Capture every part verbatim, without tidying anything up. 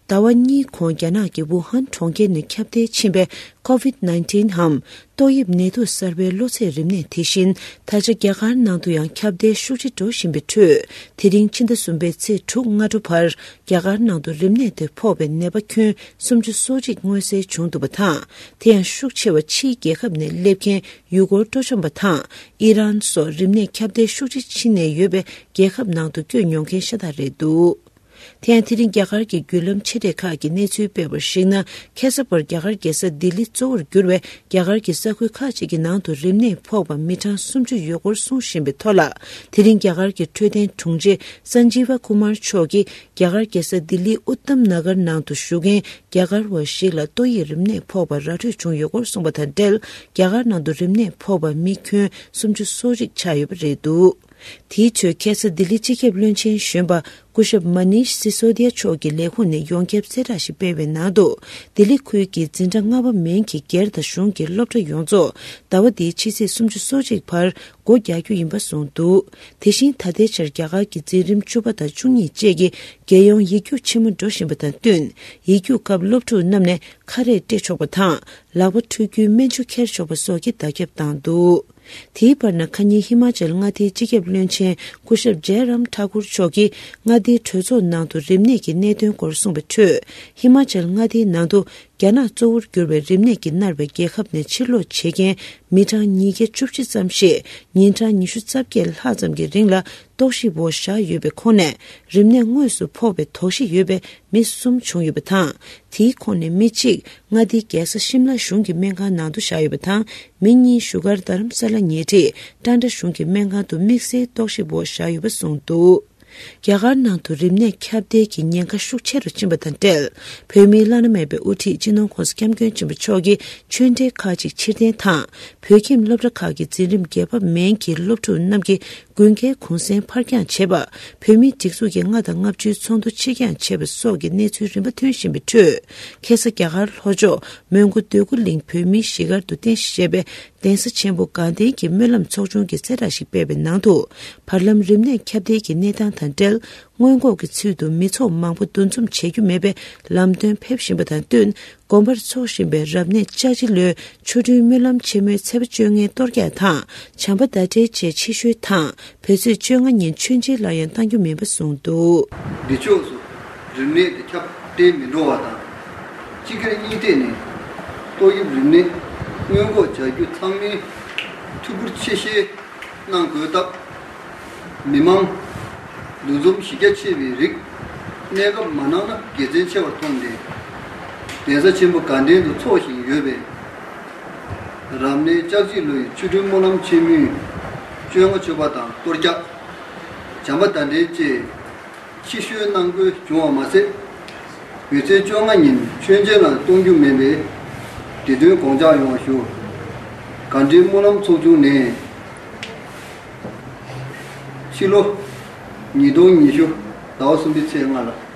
ཟླ་བ་གཉིས་གོང་རྒྱ་ནག་གི་ཝུ་ཧན་གྲོང་ཁྱེར་ནས་ཁྱབ་གདལ་ཕྱིན་པའི་ཀོ་ཝིད་ནའིན་ཊིན་འམ་ཏོག་དབྱིབས་ནད་དུག་གསར་པའི་གློ་ཚད་རིམས་ནད་དེ་བཞིན་ད་ཆ་རྒྱ་གར་ནང་དུ་ཡང་ཁྱབ་གདལ་ཤུགས་ཆེ་འགྲོ་བཞིན་པའི་ཁྲོད། དེ་རིང་ཕྱི་ཟླ་གསུམ་པའི་ཚེས་དྲུག་སྔ་དྲོ་བར་རྒྱ་གར་ནང་དུ་རིམས་ནད་དེ་ཕོག་པའི་ནད་པ་ཁྱོན་སུམ་ཅུ་སོ་གཅིག་མངོན་གསལ་བྱུང་འདུག་པ་དང་། དེ་ཡང་ཤུགས་ཆེ་བ་ཕྱིའི་རྒྱལ་ཁབ་ནས་སླེབས་མཁན་ཡུལ་སྐོར་སྤྲོ་འཆམ་པ་དང་ཨི་རན་སོགས་རིམས་ནད་ཁྱབ་གདལ་ཤུགས་ཆེ་ཕྱིན་ནས་ཡོད་པའི་རྒྱལ་ཁབ་ནང་དུ་བསྐྱོད་མྱོང་མཁན་ཤ་སྟག་རེད་འདུག་དེ་ཡང་དེ་རིང་རྒྱ་གར་གྱི་བརྒྱུད་ལམ་ཆེ་གྲས་ཁག་གིས་གནས་ཚུལ་སྤེལ་བར་གཞིགས་ན། ཁ་སང་བར་རྒྱ་གར་རྒྱལ་ས་ལྡི་ལི་གཙོ་བོར་གྱུར་བའི་རྒྱ་གར་གྱི་ས་ཁུལ་ཁག་ཅིག་གི་ནང་དུ་རིམས་ནད་ཕོག་པ་མི་གྲངས་སུམ་ཅུ་ཡོད་སྐོར་གསུངས་བཞིན་པའི་ཐོག་ལ། དེ་རིང་རྒྱ་གར་གྱི་འཕྲོད་བསྟེན་དྲུང་ཆེ་སན་ཇི་ཝ་ཀུ་མར་མཆོག་གིས་རྒྱ་གར་རྒྱལ་ས་ལྡི་ལིའི་ཨུ་ཏམ་ན་གར་ནང་དུ་བཞུགས་མཁན་རྒྱ་གར་བ་ཞིག་ལ་ཏོག་དབྱིབས་རིམས་ནད་ཕོག་པ་ར་འཕྲོད་བྱུང་ཡོད་སྐོར་གསུངས་པ་དང་འབྲེལ། རྒྱ་གར་ནང་དུ་རིམས་ནད་ཕོག་པ་མི་ཁྱོན་སུམ་ཅུ་སོ་གཅིག་ཆགས་ཡོད་པ་རེད་འདུག་དེའི་ཁྲོད་ཁ་སང་ལྡི་ལི་སྤྱི་ཁྱབ་བློན་ཆེན་གཞོན་པ་སྐུ་ཞབས་མ་ནིཤ་སི་སོ་དི་ཡ་མཆོག་གི་ལས་ཁུངས་ནས་ཡོངས་ཁྱབ་གསལ་བསྒྲགས་ཤིག་སྤེལ་བའི་ནང་དུ། ལྡི་ལི་ཁུལ་གྱི་འཛིན་གྲྭ་ལྔ་པ་མན་གྱི་སྒེར་དང་གཞུང་གི་སློབ་གྲྭ་ཡོངས་རྫོགས་ཟླ་བ་འདིའི་ཕྱི་ཚེས་སུམ་ཅུ་སོ་གཅིག་བར་སྒོ་རྒྱག་རྒྱུ་ཡིན་པ་གསུངས་འདུག་དེ་བཞིན་ད་ལྟའི་ཆར་རྒྱ་གར་གྱི་འཛིན་རིམ་བཅུ་པ་དང་བཅུ་གཉིས་བཅས་ཀྱི་རྒྱལ་ཡོངས་ཡིག་རྒྱུགས་ཆེན་མོ་འགྲོ་བཞིན་པ་དང་བསྟུན། ཡིག་རྒྱུགས་སྐབས་སློབ་ཕྲུག་རྣམས་ནས་ཁ་རས་སྤྲས་ཆོག་པ་དང་། ལག་པ་འཁྲུ་རྒྱུའི་སྨན་ཆུ་འཁྱེར་ཆོག་པ་སོགས་ཀྱི་བརྡ་ཁྱབ་བཏང་འདུག་དེའི་བར་ན། ཁ་ཉིན་ཧི་མ་ཅལ་མངའ་སྡེའི་སྤྱི་ཁྱབ་བློན་ཆེན་སྐུ་ཞབས་ཇེ་རམ་ཐ་ཀུར་མཆོག་གིས་མངའ་སྡེའི་གྲོས་ཚོགས་ནང་དུ་རིམས་ནད་ཀྱི་གནད་དོན་སྐོར་གསུངས་པའི་ཁྲོད། ཧི་མ་ཅལ་མངའ་སྡེའི་ནང་དུ་རྒྱ་ནག་གཙོ་བོར་གྱུར་བའི་རིམས་ནད་ཀྱིས་མནར་བའི་རྒྱལ་ཁབ་ནས་ཕྱིར་ལོག་བྱེད་མཁན་མི་གྲངས་ཉིས་བརྒྱ་བཅུ་བཞི་ཙམ་ཞིག་ཉིན་གྲངས་ཉི་ཤུ་རྩ་བརྒྱད་ལྷག་ཙམ་གྱི་རིང་ལ་རྟོག་ཞིབ་འོག་བཞག་ཡོད་པའི་ཁོངས་ནས། རིམས་ནད་དངོས་སུ་ཕོག་པའི་དོགས་གཞི་ཡོད་པའི་མི་གསུམ་བྱུང་ཡོད་པ་དང་། དེའི་ཁོངས་ནས་མི་གཅིག་མངའ་སྡེའི་རྒྱལ་ས་ཤིམ་ལ་གཞུང་གི་སྨན་ཁང་ནང་དུ་བཞག་ཡོད་པ་དང་། མི་གཉིས་བཞུགས་སྒར་རྡ་རམ་ས་ལ་ཉེ་འཁྲིས་ཀྲན་ཏྲ་གཞུང་གི་སྨན་ཁང་དུ་དམིགས་བསལ་རྟོག་ཞིབ་འོག་བཞག་ཡོད་པ་གསུངས་འདུག་རྒྱ་གར་ནང་དུ་རིམས་ནད་ཁྱབ་གདལ་གྱི་ཉེན་ཁ་ཤུགས་ཆེ་རུ་ཕྱིན་པ་དང་འབྲེལ། བོད་མིའི་བླ་ན་མེད་པའི་དབུ་ཁྲིད་སྤྱི་ནོར་༸གོང་ས་༸སྐྱབས་མགོན་ཆེན་པོ་མཆོག་གིས་ཆོས་འབྲེལ་ཁག་ཅིག་ཕྱིར་འཐེན་དང་། བོད་ཁྱིམ་སློབ་གྲྭ་ཁག་གི་འཛིན་རིམ་བརྒྱད་པ་མན་གྱི་སློབ་ཕྲུག་རྣམས་ཀྱི་དགུན་ཁའི་གུང་སེང་ཕར་འགྱངས་བྱས་པ། བོད་མིའི་སྒྲིག་འཛུགས་ཀྱི་ལྔ་དང་ལྔ་བཅུའི་ཚོགས་འདུ་ཕྱིར་འགྱངས་བྱས་པ་སོགས་ཀྱི་གནས་ཚུལ་རིམ་པ་ཐོན་བཞིན་པའི་ཁྲོད། ཁ་སང་རྒྱ་གར་ལྷོ་ཕྱོགས་མོན་གྷོ་འདོད་རྒུ་གླིང་བོད་མིའི་གཞིས་སྒར་དུ་རྟེན་གཞི་བྱས་པའི་གདན་ས་ཆེན་པོ་དགའ་ལྡན་གྱི་སྨོན་ལམ་ཚོགས་ཆུང་གིས་གསལ་བསྒྲགས་ཤིག་སྤེལ་བའི་ནང་དུ། བར་ལམ་རིམས་ནད་ཁྱབ་གདལ་གྱི་གནས་སྟངས་དང་འབྲེལ། སྔོན་འགོག་གི་ཚུལ་དུ་མི་ཚོགས་མང་པོ་འདུ་འཛོམས་བྱེད་རྒྱུ་མེད་པའི་ལམ་སྟོན་ཕེབས་བཞིན་པ་དང་བསྟུན། དགོན་པར་འཚོགས་བཞིན་པའི་རབ་གནས་ལྕགས་བྱི་ལོའི་ཆོ་འཕྲུལ་སྨོན་ལམ་ཆེན་མོའི་ཚེས་པ་བཅོ་ལྔའི་གཏོར་རྒྱག་དང་། བྱམས་པ་ཟླ་བྲལ་བཅས་ཕྱི་བཤོལ་དང་བོད་ཚེས་བཅོ་ལྔ་ཉིན་མཆོད་མཇལ་ལ་ཡང་གཏང་རྒྱུ་མིན་པ་གསུངས་འདུག་འདི་ཕྱོགས་སུ་རིམས་ནད་དེ་ཁྱབ་གདལ་མི་འགྲོ་བ་དང་། སྤྱི་སྒེར་གཉིས་ཐད་ནས་ཏོག་དབྱིབས་རིམས་ནད་སྔོན་འགོག་བྱ་རྒྱུ་ཚང་མས་ཐུགས་ཁུར་ཆེ་བཞེས་གནང་དགོས་སྟབས། མི་མང་འདུ་འཛོམས་གཞི་རྒྱ་ཆེ་བའི་རིགས་གནས་སྐབས་མ་གནང་ན་དགེ་མཚན་ཆེ་བར་མཐོང་སྟེ། གདན་ས་ཆེན་པོ་དགའ་ལྡན་དུ་འཚོགས་བཞིན་ཡོད་པའི་རབ་གནས་ལྕགས་བྱི་ལོའི་ཆོ་འཕྲུལ་སྨོན་ལམ་ཆེན་མོའི་བཅོ་ལྔ་མཆོད་པ་དང་གཏོར་རྒྱག་བྱམས་པ་ཟླ་བྲལ་བཅས་ཕྱི་བཤོལ་གནང་དགོས་བྱུང་བ་མ་ཟད། བོད་ཚེས་བཅོ་ལྔ་ཉིན་མཆོད་མཇལ་ལ་གཏོང་རྒྱུ་མེད་པས་དེ་དོན་དགོངས་འཇགས་ཡོང་བ་ཞུ། དགའ་ལྡན་སྨོན་ལམ་ཚོགས་ཆུང་ནས། ཕྱི་ལོ་ཉིས་སྟོང་ཉི་ཤུ་ཟླ་བ་གསུམ་པའི་ཚེས་ལྔ་ལ།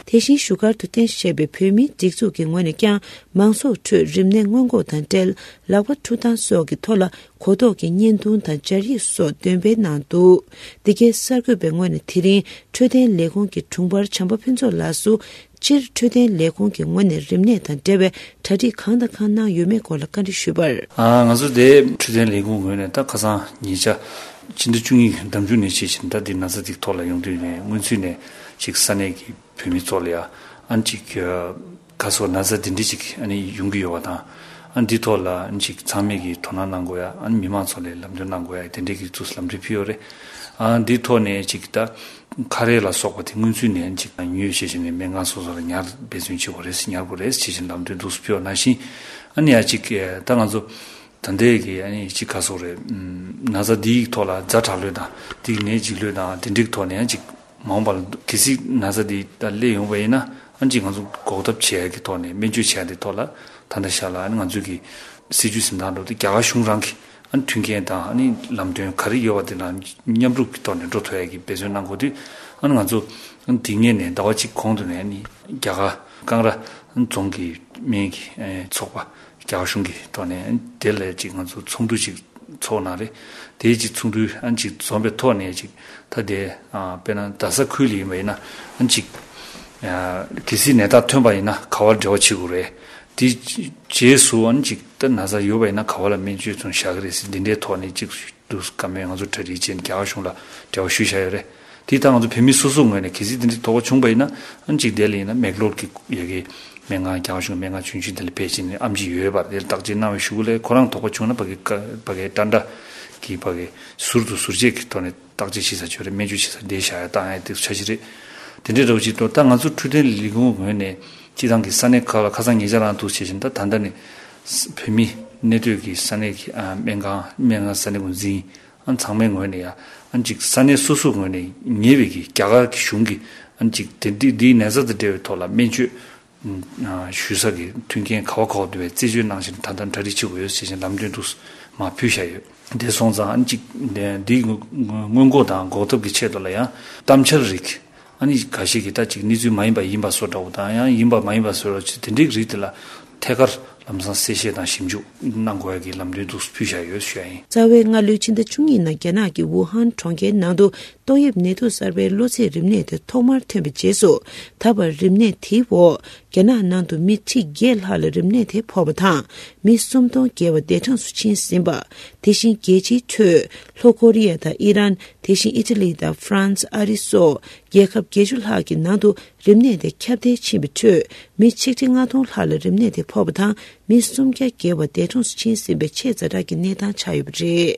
དེ་བཞིན་བཞུགས་སྒར་དུ་རྟེན་གཞི་བྱས་པའི་བོད་མིའི་སྒྲིག་འཛུགས་ཀྱི་ངོས་ནས་ཀྱང་མང་ཚོགས་ཁྲོད་རིམས་ནད་སྔོན་འགོག་དང་འབྲེལ་ལག་པ་འཁྲུ་སྟངས་སོགས་ཀྱི་ཐོག་ལ་གོ་རྟོགས་ཀྱི་བརྙན་ཐུང་དང་སྦྱར་ཡིག་སོགས་འདོན་སྤེལ་གནང་འདུག་འདི་གའི་གསར་འགོད་པའི་ངོས་ནས་དེ་རིང་འཕྲོད་བསྟེན་ལས་ཁུངས་ཀྱི་དྲུང་འཕར་བྱམས་པ་ཕུན་ཚོགས་ལགས་སུ། སྤྱིར་འཕྲོད་བསྟེན་ལས་ཁུངས་ཀྱི་ངོས་ནས་རིམས་ནད་དང་འབྲེལ་བའི་གྲ་སྒྲིག་གང་དང་གང་གནང་ཡོད་མེད་སྐོར་ལ་བཀའ་འདྲི་ཞུས་པར། ཨ། ང་ཚོ་དེ་འཕྲོད་བསྟེན་ལས་ཁུངས་ངོས་ནས་ད་ཁ་སང་ཉེ་ཆར་ཕྱི་ཟླ་བཅུ་གཉིས་ཀྱི་ཟླ་མཇུག་ནས་བྱས་ཤིང་ད་འདི་ན་ཚ་འདི་ཐོག་ལ་ཡོང་དུས་ནས་སྔོན་ཚུད་ནས་ཅིག་ས་གནས་ཀྱི་བོད་མི་ཚོ་ལ་ཡང་ཨ་ནི་ཅིག་ག་སོགས་ན་ཚ་འདི་འདྲ་ཅིག་ཨ་ནི་ཡོང་གི་ཡོད་པ་དང་། ཨ་ནི་འདི་ཐོག་ལ་ཨ་ནི་ཅིག་ཚང་མས་ཀྱིས་དོ་སྣང་གནང་དགོས་ཡ། ཨ་ནི་མི་མང་ཚོ་ལ་ལམ་སྟོན་གནང་དགོས་ཡ་དེ་འདྲའི་གི་ཚུལ་ལམ་སྟོན་ཕུལ་ཡོད་རེད། ཨ་འདི་ཐོག་ནས་ཅིག་ད་ཁ་རས་ལ་སོགས་པ་དེ་སྔོན་ཚུད་ནས་ཅིག་ཉོས་བྱས་བྱས་ནས་སྨན་ཁང་སོ་སོ་ལ་ཉར་འབད་བརྩོན་བྱེད་དགོས་རེད། ཉར་དགོས་རེད་བྱས་བྱས་ལམ་སྟོན་འདུག་སེ་ཕུལ་བ་ནང་བཞིན། ཨ་ནི་ཡ་ཅིག་ད་ང་ཚོ་ད་ལྟའི་གི་ཨ་ནི་ཅིག་ག་སོགས་རེད། ན་ཚ་འདིའི་ཐོག་ལ་ཛ་དྲག་ལོས་དང་དེ་གི་ནད་འཇིགས་ལོས་དང་དེ་འདྲའི་ཐོག་ནས་ཡང་ཅིག་མ་འོངས་པ་ལ་གལ་སྲིད་ན་ཚ་འདི་ད་སླེབས་ཡོང་བ་ཡིན་ན་ཨ་ནི་ཅིག་ང་ཚོ་འགོག་ཐབས་བྱེད་ཡ་གི་ཐོག་ནས་སྨན་བཅོས་བྱེད་ཡ་དེ་ཐོག་ལ་ད་ལྟ་ཤར་ལ་ཨ་ནི་ང་ཚོ་གི་སྲིད་ཇུས་འཛིན་སྟངས་འགྲོ་དེ་རྒྱ་གར་གཞུང་རང་གི་ཨ་ནི་མཐུན་རྐྱེན་དང་ཨ་ནི་ལམ་སྟོན་ག་རེ་ཡོད་པ་དེ་ལ་མཉམ་རུབ་ཀྱི་ཐོག་ནས་འགྲོ་ཐུབ་ཡ་གི་འབད་བརྩོན་གནང་དགོས་དུས། ཨ་ནི་ང་ཚོ་ཨ་ནི་དེ་སྔོན་ནས་ཟླ་བ་གཅིག་གོང་དུ་ནས་ཨ་ནི་རྒྱ་གར་ཀང་ར་རྫོང་གི་སྨན་གྱི་ཚོགས་པ་རྒྱ་གར་གཞུང་གི་ཐོག་ནས་ཨ་ནི་དེ་ལ་ཅིག་ང་ཚོ་ཚོགས་འདུ་ཅིག་ཚོགས་གནང་རེད། དེའི་ཅིག་ཚོགས་འདུ་ཨ་ནི་ཅིག་འཛོམས་པའི་ཐོག་ནས་ཅིག་ད་དེ་དཔེར་ན་རྡ་ས་ཁུལ་ལ་ཡིན་པ་ཡིན་ན་ཨ་ནི་ཅིག་གལ་སྲིད་ནད་རྟགས་ཐོན་པ་ཡིན་ན་ག་བར་འབྲེལ་བ་བྱེད་དགོས་རེད། དེ་རྗེས་སུ་ཨ་ནི་ཅིག་ད་ན་ཚ་ཡོད་པ་ཡིན་ན་ག་བ་ལ་སྨན་བཅོས་ཚུན་བཞག་གི་རེད་ཟེར་འདི་འདྲའི་ཐོག་ནས་ཅིག་འདུག་བཀའ་མོལ་ང་ཚོ་གྲ་སྒྲིག་བྱས་ནས་རྒྱ་གར་གཞུང་ལ་འབྲེལ་བ་ཞུས་བཞག་ཡོད་རེད། དེ་ད་ང་ཚོ་བོད་མི་སོ་སོའི་ངོས་ནས་གལ་སྲིད་དེ་འདྲའི་དོགས་པ་བྱུང་པ་ཡིན་ན་ཨ་ནི་ཅིག་དེ་ལ་ཡིན་ན་མེག་ལོར་གྱི་ཡ་གི་སྨན་ཁང་རྒྱ་གར་གཞུང་སྨན་ཁང་ཆུང་ཆུང་དེ་ལ་ཕེབས་བྱས་ནས་ཨེམ་ཆི་ཡོད་པ་དེ་ལ་བརྟག་དཔྱད་གནང་བའི་གཞུག་ལས་ཁོ་རང་དོགས་པ་བྱུང་ན་ཕ་གི་ཕ་གི་ཏྲ་འདྲ་གི་ཕ་གི་ཟུར་དུ་ཟུར་བཅད་ཀྱི་ཐོག་ནས། བརྟག་དཔྱད་བྱེད་ས་ཅིག་ཡོད་རེད། སྨན་བཅོས་བྱེད་ས་དེ་བཞག་ཡ་བཏང་ཡ་དེ་ཚོ་ཆ་ཤས་རེད། དེ་འདྲའི་འདྲ་བོ་ཅིག་འགྲོ་ད་ང་ཚོ་འཕྲོད་བསྟེན་ལས་ཁུངས་ངོས་ནས་སྤྱི་བཏང་གི་ས་གནས་ཁག་ལ་ཁ་སང་ཉེ་ཆར་རང་འདུག་བྱས་ཤིང་ད་ད་ལྟ་ནས་བོད་མི་གནས་སྡོད་ཀྱི་ས་གནས་ཀྱི་ཨ་སྨན་ཁང་སྨན་ཁང་ས་གནས་འགོ་འཛིན་ཨ་ཚང་མའི་ངོས་ནས་ཡ་ཨ་ཅིག་ས་གནས་སོ་སོའི་ངོས་ནས་ཉེ་བའི་གི་རྒྱ་གར་གྱི་གཞུང་གི་ཨ་ཅིག་དེ་འདི་འདིའི་ནད་ཚ་དང་འབྲེལ་བའི་ཐོག་ལ་སྨན་བཅོས་ཞུ་ས་གི་མཐུན་རྐྱེན་ག་བ་ག་བ་འདུག་པའི་རྩད་གཅོད་གནང་བཞིན་ད་ལྟ་གྲ་སྒྲིག་བྱེད་དགོས་ཡོད་ཟེར་བཞིན་ལམ་སྟོན་དུ་མར་ཕུལ་བཞག་ཡོད། དེ་སོང་ཙང་ཨ་ནི་གཅིག་འདིའི་སྔོན་འགོག་དང་འགོག་ཐབས་ཀྱི་ཆེད་དུ་ལ་ཡང་གཏམ་འཆལ་རིགས་ཨ་ནི་འགའ་ཤས་ཀྱིས་ད་ཅིག་གནས་ཚུལ་མ་ཡིན་པ་ཡིན་པ་བཟོ་འདྲ་བོ་དང་ཡང་ཡིན་པ་མ་ཡིན་པ་བཟོ་འདྲ་བོ་ཅིག་དེ་འདྲའི་རིགས་དེ་ལ་ཐད་ཀར་ལམ་སང་གསལ་བཤད་དང་ཞིབ་འཇུག་གནང་དགོས་ཡ་གི་ལམ་སྟོན་དུ་ཕུལ་བཞག་ཡོད་ཞུ་ཡ་ཡིན། རྩ་བའི་སྔ་ལོའི་ཕྱི་ཟླ་བཅུ་གཉིས་ནང་རྒྱ་ནག་གི་ཝུ་ཧན་གྲོང་ཁྱེར་ནང་དུ་ཏོག་དབྱིབས་ནད་དུག་གསར་པའི་གློ་ཚད་རིམས་ནད་དེ་ཐོག་མར་ཐོན་པའི་རྗེས་སུ་ད་བར་རིམས་ནད་དེའི་འོག་རྒྱ་ནག་ནང་དུ་མི་ཁྲི་བརྒྱད་ལྷག་ལ་རིམས་ནད་དེ་ཕོག་པ་དང་མི་སུམ་སྟོང་བརྒལ་བ་འདས་གྲོངས་སུ་ཕྱིན་ཟིན་པ། དེ་བཞིན་རྒྱལ་སྤྱིའི་ཁྲོད་ལྷོ་ཀོ་རི་ཡ་དང་ཨི་རན། དེ་བཞིན་ཨི་ཊ་ལི་དང་ཧྥ་རན་སི། ཨ་རི་སོགས་རྒྱལ་ཁབ་བརྒྱད་ཅུ་ལྷག་གི་ནང་དུ་རིམས་ནད་དེ་ཁྱབ་གདལ་ཕྱིན་པའི་ཁྲོད་མི་ཆིག་ཁྲི་ལྔ་སྟོང་ལྷག་ལ་རིམས་ནད་དེ་ཕོག་པ་དང་མི་སུམ་བརྒྱ་བརྒལ་བ་འདས་གྲོངས་སུ་ཕྱིན་ཟིན་པའི་ཆེས་ཛ་དྲག་གི་གནས་སྟངས་ཆགས་ཡོད་པ་རེད།